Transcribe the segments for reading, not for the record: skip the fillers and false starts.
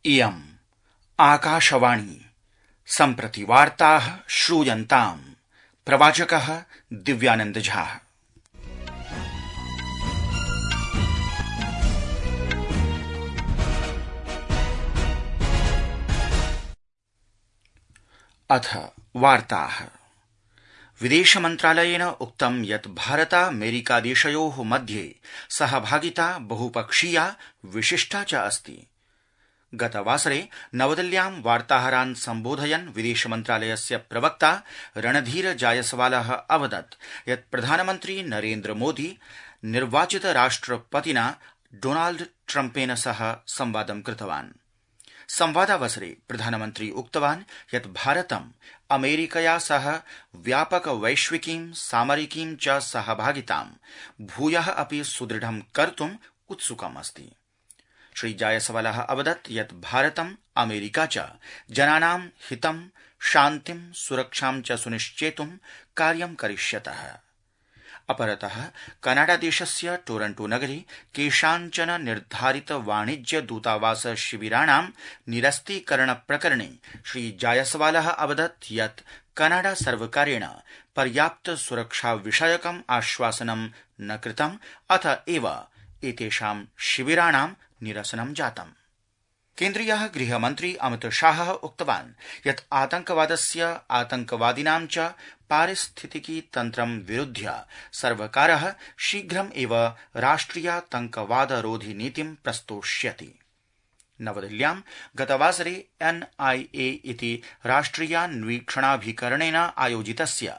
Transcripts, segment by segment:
इयम् आकाशवाणी सम्प्रति वार्ताः श्रूयन्ताम् प्रवाचकः दिव्यानंद झा। अथ वार्ताः। विदेश मन्त्रालयेन उक्तं यत् भारतामेरिकादेशयोः मध्ये सहभागिता बहुपक्षीया विशिष्टा च अस्ति। गतवासरे नवदिल्ल्यां वार्ताहरान् सम्बोधयन् विदेश मन्त्रालयस्य प्रवक्ता रणधीर जायसवालः अवदत् यत् प्रधानमन्त्री नरेन्द्र मोदी निर्वाचित राष्ट्रपतिना डोनाल्ड ट्रम्पेन सह संवादं कृतवान्। संवादावसरे प्रधानमन्त्री उक्तवान् यत् भारतम् अमेरिकया सह व्यापक वैश्विकीं सामरिकीं च सहभागितां भूयः अपि सुदृढं कर्तुम् उत्सुकम् अस्ति। श्री जायसवालः अवदत् यत् भारतम् अमेरिका च जनानां हितं शान्तिं सुरक्षां च सुनिश्चेतुं कार्यं करिष्यतः। अपरतः कनाडादेशस्य टोरंटो नगरे केषाञ्चन निर्धारित वाणिज्य दूतावास शिबिराणां निरस्तीकरण प्रकरणे श्री जायसवालः अवदत् यत् कनाडा सर्वकारेण पर्याप्त सुरक्षा विषयकम् आश्वासनं न कृतम् अथ एव एतेषां शिबिराणां निरसनं जातम्। केन्द्रीयः गृहमन्त्री अमित शाहः उक्तवान् यत् आतंकवादस्य आतंकवादिनां च पारिस्थितिकी तन्त्रं विरुध्य सर्वकारः शीघ्रम् एव राष्ट्रियातंकवादरोधि नीतिं प्रस्तोष्यति। नवदिल्ल्यां गतवासरे NIA इति राष्ट्रियान्वीक्षणाभिकरणेन आयोजितस्य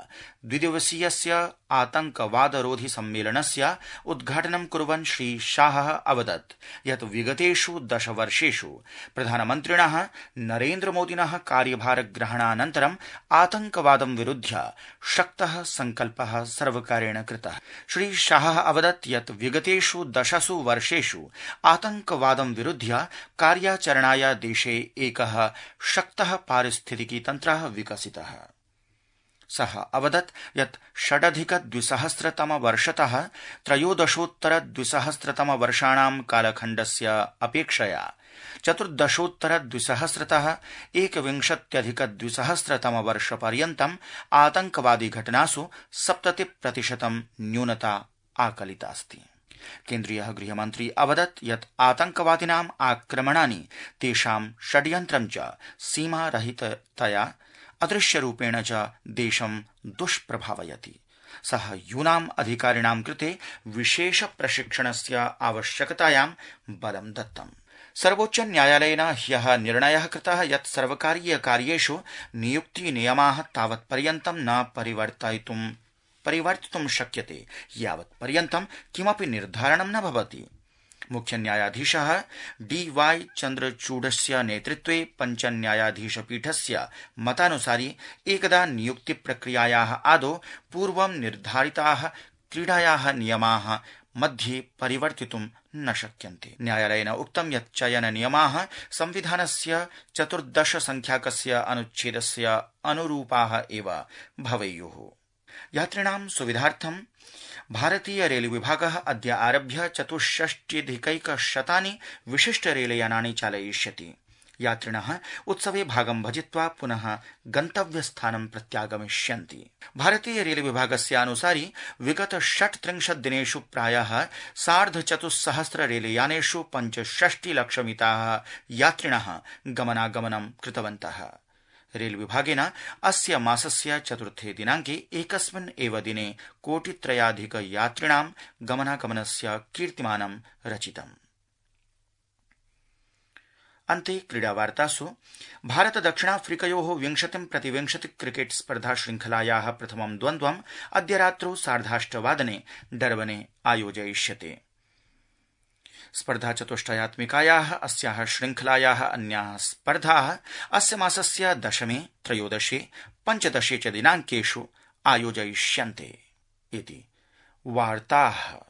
द्विदिवसीयस्य आतंकवादरोधि सम्मेलनस्य उद्घाटनं कुर्वन् श्री शाहः अवदत् यत् विगतेषु 10 वर्षेषु प्रधानमन्त्रिणः नरेन्द्र मोदिनः कार्यभारग्रहणानन्तरम् आतंकवादं विरुध्य शक्तः संकल्पः सर्वकारेण कृतः। श्री शाहः अवदत् यत् विगतेषु 10 वर्षेषु आतंकवादं विरुध्य कार्याचरणाय देशे एकः शक्तः पारिस्थितिकी तन्त्रः विकसितः। सः अवदत् यत् 2006-तमवर्षतः 2013-2014 कालखण्डस्य अपेक्षया 2014-2020तः 2021-2020 आतंकवादी घटनासु 70% न्यूनता आकलितास्ति। केन्द्रीयः गृहमन्त्री अवदत् यत् आतंकवादिनाम् आक्रमणानि तेषां षड्यन्त्रं च सीमारहिततया अदृश्यरूपेण च देशं दुष्प्रभावयति। सः यूनाम् अधिकारिणां कृते विशेष प्रशिक्षणस्य आवश्यकतायां बलं दत्तम्। सर्वोच्च न्यायालयेन ह्यः निर्णयः कृतः यत् सर्वकारीय कार्येषु नियुक्तिनियमाः तावत्पर्यन्तं न परिवर्तितुं शक्यते यावत्पर्यन्तं किमपि निर्धारणं न भवति। मुख्य न्यायाधीशः DY चन्द्रचूडस्य नेतृत्वे 5 न्यायाधीशपीठस्य मतानुसारि एकदा नियुक्तिप्रक्रियायाः आदौ पूर्वं निर्धारिताः क्रीडायाः नियमाः मध्ये परिवर्तितुं न शक्यन्ते। न्यायालयेन उक्तं यत् चयननियमाः संविधानस्य 14 संख्याकस्य अनुच्छेदस्य अनुरूपाः एव भवेयुः। यात्रिणां सुविधार्थं भारतीय रेल विभागः अद्य आरभ्य 64,100 विशिष्ट रेलयानानि चालयिष्यति। यात्रिणः उत्सवे भागं भजित्वा पुनः गन्तव्यस्थानं प्रत्यागमिष्यन्ति। भारतीय रेल विभागस्य अनुसारि विगत 36 दिनेषु प्रायः 4,500 रेलयानेषु 65 लक्षमिताः यात्रिणः गमनागमनं कृतवन्तः। रेल विभागेन अस्य मासस्य 4 दिनाङ्के एकस्मिन् एव दिने 1,300,000 यात्रिणां गमनागमनस्य कीर्तिमानं रचितम्। अन्ते क्रीडावार्तासु भारत दक्षिणाफ्रीकयोः 20-20 क्रिकेट स्पर्धा श्रृंखलायाः प्रथमं द्वन्द्वम् अद्य रात्रौ 8:30 डर्बने आयोजयिष्यते। स्पर्धाचतुष्टयात्मिकायाः अस्याः श्रृंखलायाः अन्याः स्पर्धाः अस्य मासस्य 10, 13, 15 च दिनाङ्केषु आयोजयिष्यन्ते इति वार्ताः।